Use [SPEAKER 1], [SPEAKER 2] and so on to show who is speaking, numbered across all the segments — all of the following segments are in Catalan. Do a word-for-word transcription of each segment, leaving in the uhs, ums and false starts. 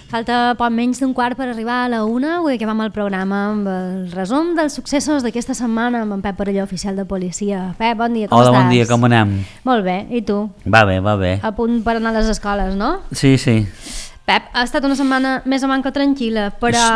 [SPEAKER 1] Falta poc menys d'un quart per arribar a la una, avui acabem el programa amb el resum dels successos d'aquesta setmana amb en Pep Parelló, oficial de policia. Pep, bon dia, com
[SPEAKER 2] Hola,
[SPEAKER 1] estàs?
[SPEAKER 2] Hola, bon dia, com anem?
[SPEAKER 1] Molt bé, i tu?
[SPEAKER 2] Va bé, va bé.
[SPEAKER 1] A punt per anar a les escoles, no?
[SPEAKER 2] Sí, sí.
[SPEAKER 1] Pep, ha estat una setmana més o manca tranquil·la, però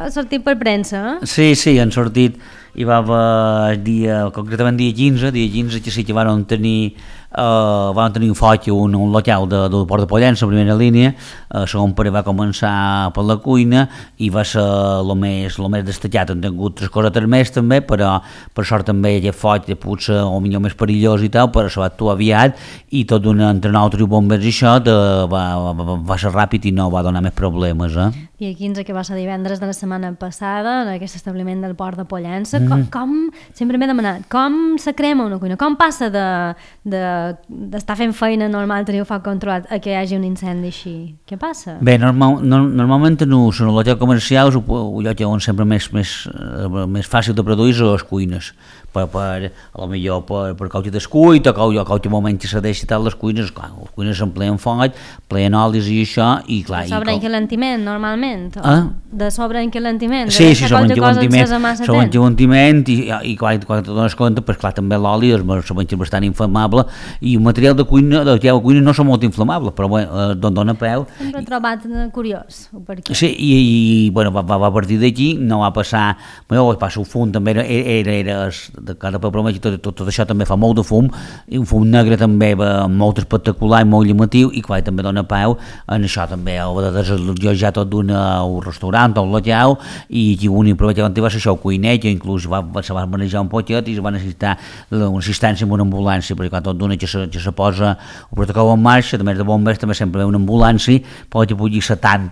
[SPEAKER 1] ha sortit per premsa, eh?
[SPEAKER 2] Sí, sí, han sortit, hi va haver dia, concretament dia quinze, dia quinze que sí que van tenir, uh, van tenir un foc, un, un local de, del Port de Pollença, en primera línia, uh, segon pare va començar per la cuina i va ser el més, lo més destacat. Han tingut tres cosetes més també, però per sort també aquest foc potser o millor més perillós i tal, però se va actuar aviat i tot d'un entre nosaltres i bombers i això de, va, va, va ser ràpid i no va donar més problemes. Eh?
[SPEAKER 1] Dia quinze, que va ser divendres de la setmana passada, en aquest establiment del Port de Pollença. Mm. Com, com, sempre m'he demanat, com se crema una cuina? Com passa de, de, d'estar fent feina normal, tenir foc controlat, a que hi hagi un incendi així? Què passa?
[SPEAKER 2] Bé, normal, no, normalment no, són els locals comercials, el lloc on sempre més, més, més fàcil de produir són les cuines. Per, per, a lo millor per, per causa descuit o causa, causa moment que se deixa tal les cuines, clar, les cuines s'empleen foc, pleen olis i això, i clar...
[SPEAKER 1] De sobreenquilentiment, normalment?
[SPEAKER 2] Eh?
[SPEAKER 1] De sobreenquilentiment?
[SPEAKER 2] Sí, sí, sobreenquilentiment, sobreenquilentiment i, i quan, quan te dones compte, pues, clar, també l'oli és bastant inflamable i el material de cuina, de la cuina no són molt inflamables, però bueno, d'on dona peu...
[SPEAKER 1] Sempre he trobat curiós, per què?
[SPEAKER 2] Sí, i, i bueno, va, va a partir d'aquí, no va passar... Bueno, va passar un fum, també era... era, era de cada problema, tot, tot, tot això també fa molt de fum, i un fum negre també va molt espectacular i molt llamatiu, i clar, també dona peu en això també, ho de desallotjar tot d'un restaurant o un local, i aquí un improvisament va ser això, el cuiner, que inclús va, se va manejar un poquet i es va necessitar una assistència amb una ambulància, perquè quan tot d'una que se, que se posa el protocol en marxa, també de bombers també sempre ve una ambulància, però que pugui ser tant,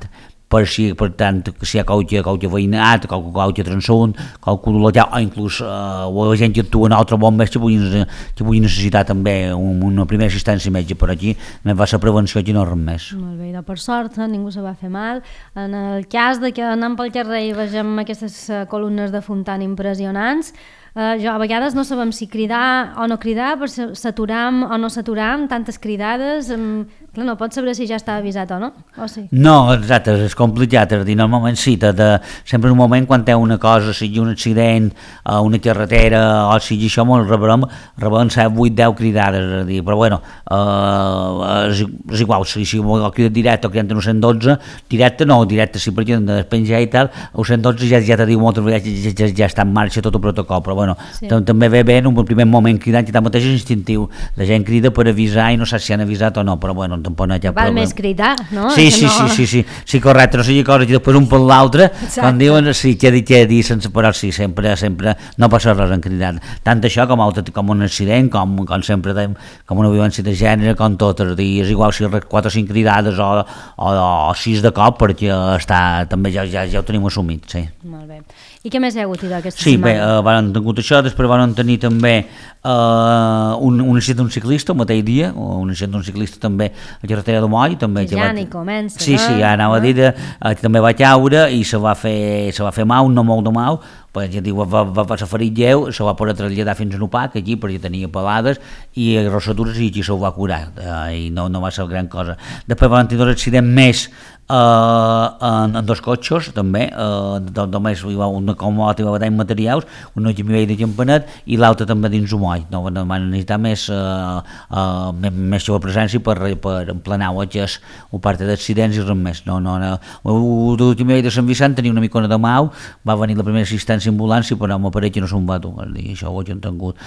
[SPEAKER 2] per si, per tant, si hi ha qualque, qualque veïnat, qualque, qualque transunt, qualque local, o inclús uh, la gent que actua en altres bombers que puguin, que puguin necessitar també un, una primera assistència metge per aquí, només va ser prevenció i no res més.
[SPEAKER 1] Molt bé, però per sort ningú se va fer mal. En el cas de que anem pel carrer i vegem aquestes columnes de fum tan impressionants, Uh, jo a vegades no sabem si cridar o no cridar, per saturam o no saturam, tantes cridades, um, clar, no pots saber si ja està avisat o no, o sí?
[SPEAKER 2] No, exacte, és complicat, és a dir, normalment sí, de, de, sempre en un moment quan té una cosa, sigui un accident, uh, una carretera, o sigui això, molt rebem, rebem set, vuit, deu cridades, és a dir, però bueno, uh, és, és igual, si, si ho cridat directe o cridant en un cent dotze, directe no, directe sí, perquè de despenjar i tal, el cent dotze ja, ja te diu moltes vegades, ja, ja, ja està en marxa tot el protocol, però bueno, sí. També ve bé en un primer moment cridant, que tanmateix és instintiu, la gent crida per avisar i no saps si han avisat o no, però bueno, tampoc no hi ha
[SPEAKER 1] Val problema. Més cridar, no?
[SPEAKER 2] Sí, sí, no... sí, sí, sí, sí, correcte, no sigui cosa que després un per l'altre, quan diuen sí, què dir, què dir, sense parar, sí, sempre, sempre, no passa res en cridar, tant això com, altre, com un accident, com, com sempre dèiem, com una violència de gènere, com tot, és, dir, és igual si quatre o cinc cridades o, o, o sis de cop, perquè està, també ja, ja, ja ho tenim assumit, sí.
[SPEAKER 1] Molt bé. I què més hi ha hagut aquesta
[SPEAKER 2] sí,
[SPEAKER 1] setmana?
[SPEAKER 2] Sí, bé, uh, van tingut això, després van tenir també uh, un, un accident d'un ciclista el mateix dia, un accident d'un ciclista també a la carretera de Moll, també
[SPEAKER 1] que ja va... n'hi comença,
[SPEAKER 2] sí, no? Sí, ja anava a dir, uh, també va caure i se va fer, se va fer mal, no molt de mal, perquè ja diu, va, va passar ferit lleu, se va poder traslladar fins a Nupac, aquí, perquè tenia pelades i rossadures i aquí se ho va curar, uh, i no, no va ser gran cosa. Després van tenir dos accidents més Uh, en, en dos cotxes també, uh, només hi va una comota i va badar materials, una que m'hi veia de Campanet i l'altra també dins un moll, no, no van necessitar més uh, uh, més, més seva presència per, per emplenar watges o part d'accidents i res més, no, no, no. L'últim veia de Sant Vicent tenia una micona de mau, va venir la primera assistència a ambulància però m'apareix que no se'n va dur, això ho he tingut.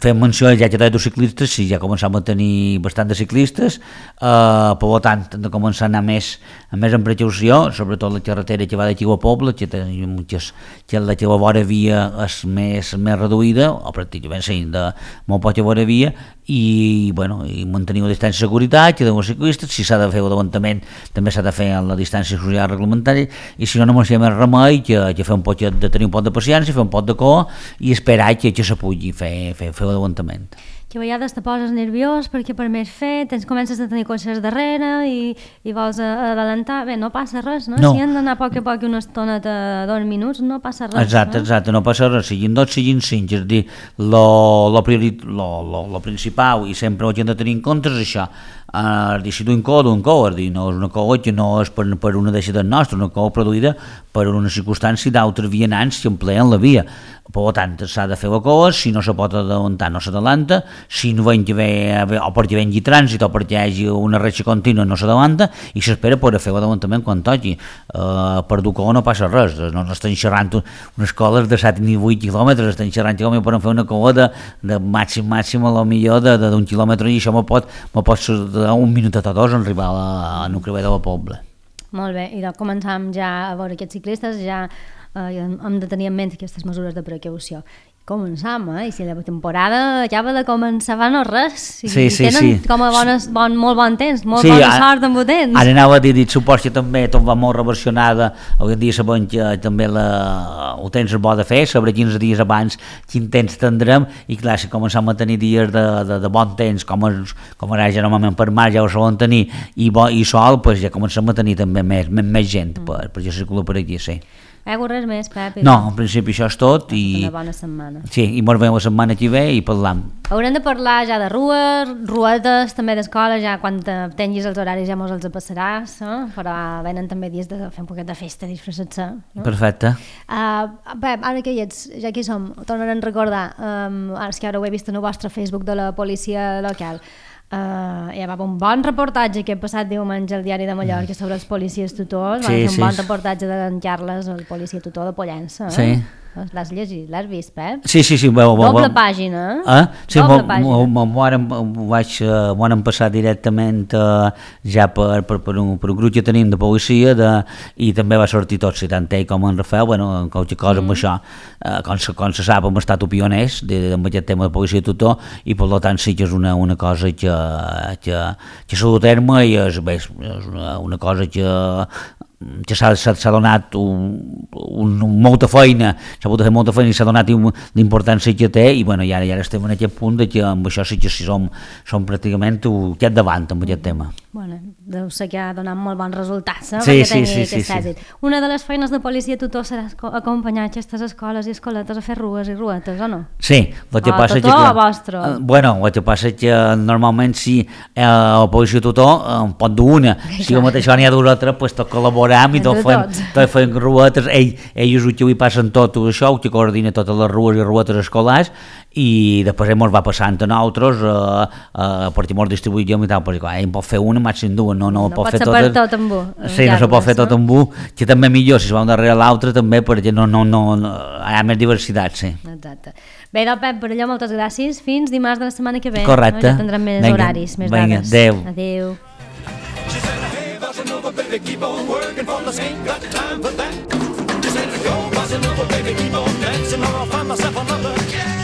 [SPEAKER 2] Fem menció ja que de ciclistes, sí, ja començàvem a tenir bastant de ciclistes, uh, per tant hem de començar a anar més més en precaució, sobretot la carretera que va d'aquí al poble, que, moltes, que la que la vora via és més, més reduïda, o pràcticament sí, de molt poca vora via, i, bueno, i mantenir la distància de seguretat, que dels ciclistes, si s'ha de fer l'avantament, també s'ha de fer a la distància social reglamentària, i si no, no m'hi ha més remei que, que fer un poc de tenir un poc de paciència, fer un poc de cor, i esperar que, que se pugui fer, fer, fer l'avantament.
[SPEAKER 1] Que a vegades te poses nerviós perquè per més fer, tens, comences a tenir cotxes darrere i, i vols adelantar, bé, no passa res, no? no. Si han d'anar a poc a poc una estoneta, dos minuts, no passa res.
[SPEAKER 2] Exacte, no? exacte, no passa res, siguin dos, siguin cinc, és a dir, lo, lo, priori, lo, lo, lo principal i sempre ho hem de tenir en compte és això, uh, si d'un cor, d'un cor, no és una cosa que no és per, per una deixa del nostre, una cosa produïda per una circumstància d'altres vianants que empleen la via. Per tant, s'ha de fer la cosa, si no se pot adelantar no s'adalanta, si no ven que ve, o perquè vengui trànsit o perquè hi hagi una reixa contínua no s'adalanta i s'espera per fer l'adalantament quan toqui. Uh, per Ducó no passa res, no, no estan xerrant unes coles de set ni vuit quilòmetres, estan xerrant que poden fer una cola de, de màxim màxim a lo millor d'un quilòmetre i això me pot, me pot dar un minutet o dos en arribar a, la, a Nucrevè de la Pobla.
[SPEAKER 1] Molt bé, i doncs començam ja a veure aquests ciclistes, ja eh, hem de tenir en ment aquestes mesures de precaució. Començam, eh? I si la temporada acaba de començar, va no res. I
[SPEAKER 2] sí, sí,
[SPEAKER 1] tenen
[SPEAKER 2] sí.
[SPEAKER 1] com a bones, bon, molt bon temps, molt
[SPEAKER 2] sí,
[SPEAKER 1] bona
[SPEAKER 2] ara,
[SPEAKER 1] sort amb el temps.
[SPEAKER 2] Ara anava a dir, dit, supos que també tot va molt reversionada, avui en dia sabem que també la, el temps és bo de fer, sabré quinze dies abans quin temps tindrem, i clar, si començam a tenir dies de, de, de bon temps, com, és, com ara ja normalment per mar ja ho solen tenir, i, bo, i sol, pues ja comencem a tenir també més, més, més gent, mm. per, per ja circular per aquí, sí.
[SPEAKER 1] Heu res més, Pep?
[SPEAKER 2] No, en principi això és tot. I...
[SPEAKER 1] Una bona setmana.
[SPEAKER 2] Sí, i ens veiem la setmana que ve i parlam.
[SPEAKER 1] Haurem de parlar ja de rues, ruetes, també d'escola, ja quan tinguis els horaris ja mos els passaràs, eh? Però venen també dies de fer un poquet de festa, disfressar-se. No?
[SPEAKER 2] Perfecte.
[SPEAKER 1] Uh, Pep, ara que hi ets, ja que hi som, tornarem a recordar, um, ara és que ara ho he vist en el vostre Facebook de la policia local, Uh, hi va un bon reportatge que he passat diumenge al Diari de Mallorca sobre els policies tutors, sí, va fer un sí. bon reportatge d'en Carles, el policia tutor de Pollença. Eh? Sí. L'has llegit, l'has vist, Pep?
[SPEAKER 2] Sí, sí, sí. Bo, bo,
[SPEAKER 1] Doble
[SPEAKER 2] bo.
[SPEAKER 1] pàgina, eh?
[SPEAKER 2] eh? Sí,
[SPEAKER 1] Doble pàgina.
[SPEAKER 2] M'ho han passat directament uh, ja per, per, per, un, per un grup que tenim de policia de, i també va sortir tot, si tant ell com en Rafael, bueno, qualque cosa mm. amb això, uh, com, se, com se sap, hem estat pioners amb aquest tema de policia tutor i per tant sí que és una, una cosa que, que, que s'ha dut a terme i és, bé, és una, una cosa que que s'ha donat un, un, molta feina, s'ha pogut fer molta feina i s'ha donat l'importància que té i, bueno, i ara, i ara estem en aquest punt de que amb això sí que sí som, som pràcticament aquest davant amb aquest tema.
[SPEAKER 1] Bueno, deu ser que ha donat molt bons resultats, eh?
[SPEAKER 2] Sí, sí, sí, sí, sí.
[SPEAKER 1] Una de les feines de policia tutor serà acompanyar aquestes escoles i escoletes a fer rues i ruetes, o no?
[SPEAKER 2] Sí, el que
[SPEAKER 1] o
[SPEAKER 2] passa
[SPEAKER 1] tutor
[SPEAKER 2] que...
[SPEAKER 1] o vostre?
[SPEAKER 2] Uh, bueno, el que passa és que normalment si eh, el policia tutor eh, pot dur una, si el mateix n'hi ha dues altres, doncs tot col·laborar i tot fem, tot fem ruetes, ell, ells ho que ho passen tot això, que coordina totes les rues i ruetes escolars i després ens va passant a nosaltres eh, eh, perquè ens distribuïm i tal, perquè clar, ell pot fer una, màxim dues, no, no,
[SPEAKER 1] no
[SPEAKER 2] pot
[SPEAKER 1] fer
[SPEAKER 2] tot,
[SPEAKER 1] tot amb un.
[SPEAKER 2] Sí, no se pot fer tot amb un, que també millor si es va un darrere l'altre també perquè no, no, no, no, hi ha més diversitat, sí. Exacte.
[SPEAKER 1] Bé, doncs Pep, per allò moltes gràcies, fins dimarts de la setmana que ve.
[SPEAKER 2] Correcte.
[SPEAKER 1] No? Ja tindrem més venga, horaris, més
[SPEAKER 2] venga,
[SPEAKER 1] dades.
[SPEAKER 2] Adéu.
[SPEAKER 1] Adéu.
[SPEAKER 3] Baby, keep on working for us, ain't got time for that. Just let it go, bossa nova, baby, keep on dancing, or I'll find myself another.